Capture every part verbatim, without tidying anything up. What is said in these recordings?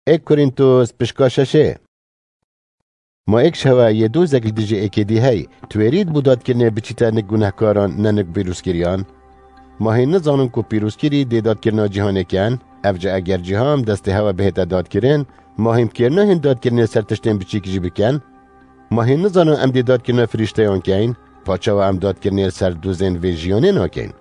Êk Korîntos pişka şeşê. Ma êk şewe yê dozek li dijî êkê dî hey, twêrît bû dadkirinê biçîte nik gunehkaran, ne nik pîrozkiriyan? Ma hîn nizanin ku pîrozkirî dê dadkirina cîhanê ken? Evca eger cîhan destê hewe bihête dadkirin, ma hîn bi kêr nahên dadkirinê ser tiştên biçîk jî bikin? Ma hîn nizanin em dê dadkirina firîşteyan keyn? Paçawa em dadkirinê li ser dozên vê jiyanê nakeyn?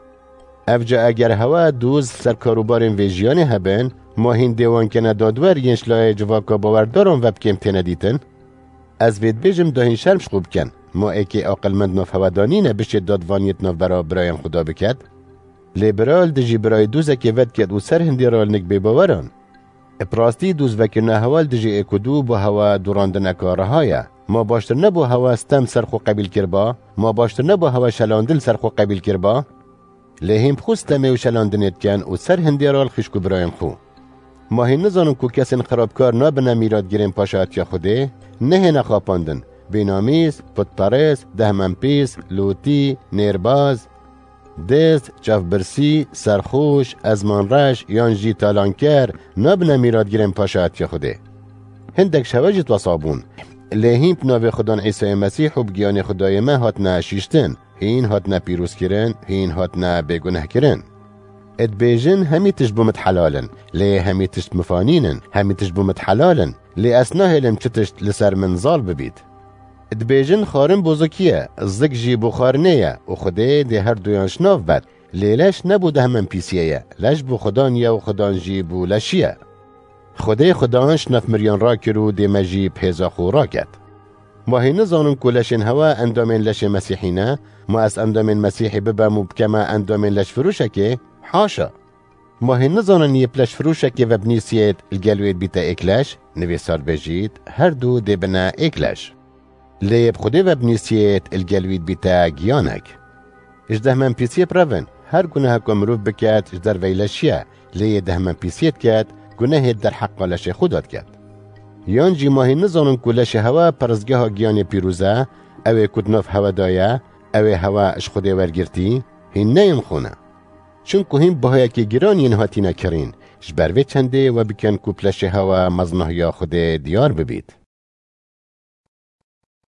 Evca eger hewe doz ser karûbarên vê jiyanê hebin, ma hîn dê wan kene dadwer yên ji layê civaka bawerdaran ve bi kêm têne dîtin? Ez vê dibêjim da hîn şerm ji xwe bikin. Ma êkê aqilmend nav hewe da nîne bişê dadvaniyê di navbera birayên xwe da biket? Lê bira li dijî birayê dozekê vediket û ser hindê re li nik bêbaweran. Bi rastî doz vekirina hewa li dijî êk û du bo hewa dorandineka reha ye. Ma baştir nebû hewa stem ser xwe qebîl kiriba? Ma baştir nebû hewa şelandin ser xwe qebîl kiriba? Lê hîn bi xwe stemê û şelandinê dikin û ser hindê re li xişk û birayên xwe. Ma hîn nizanin ku kesên xirabkar nabine mîratgirên paşatiya Xwedê? Nehêne xapandin, bênamîs, putperest, dehmenpîs, lûtî, nêrbaz, dêz, çavbirsî, serxoş, ezmanreş yan jî talanker nabine mîratgirên paşatiya Xwedê. Hindek ji hewe jî wesa bûn. Lê hîn bi navê Xudan Îsayê Mesîh û bi giyanê Xwedayê me hatine şîştin, hîn hatine pîrozkirin, hîn hatine bêgunehkirin. Dibêjin, hemî tişt bo min helal in, lê hemî tişt min fanîn in, hemî tişt bo min helal in, lê ez nahêlim çi tişt li ser min zal bibît. Dibêjin, xwarin bo zikî ye, zik jî bo xwarinê ye û Xwedê dê her duyan ji nav bet, lê leş ne bo dehmenpîsiyê ye, leş bo Xudan ye û Xudan jî bo leşî ye. Xwedê Xudan ji nav miriyan rakir û dê me jî bi hêza xwe raket. Ma hîn nizanin ku leşên hewa endamên leşê Mesîhî ne? Ma ez endamên Mesîhî bibem û bikeme endamên leşfiroşekê? Haşa! Ma hîn nizanin yê bi leşfiroşekê ve binîsiyêt, li gel wê dibîte êk leş? Nivîsar dibêjît, her du dê bine êk leş. Lê yê bi Xwedê ve binîsiyêt, li gel wî dibîte giyanek. Ji dehmenpîsiyê birevin, her guneheka mirov biket, ji derveyî leşî ye, lê yê dehmenpîsiyê diket, gunehê derheqa leşê xwe de diket. Yan jî ma hîn nizanin ku leşê hewa peristgeha giyanê pîroz e, ew ê ku di nav hewe de ye, ew ê hewe ji Xwedê wergirtî? Hîn ne yên xwe ne. Çimku hîn bihayekî giran yên hatîne kirîn, ji ber vê çendê we bikin ku bi leşê hewa mezinahiya Xwedê diyar bibît.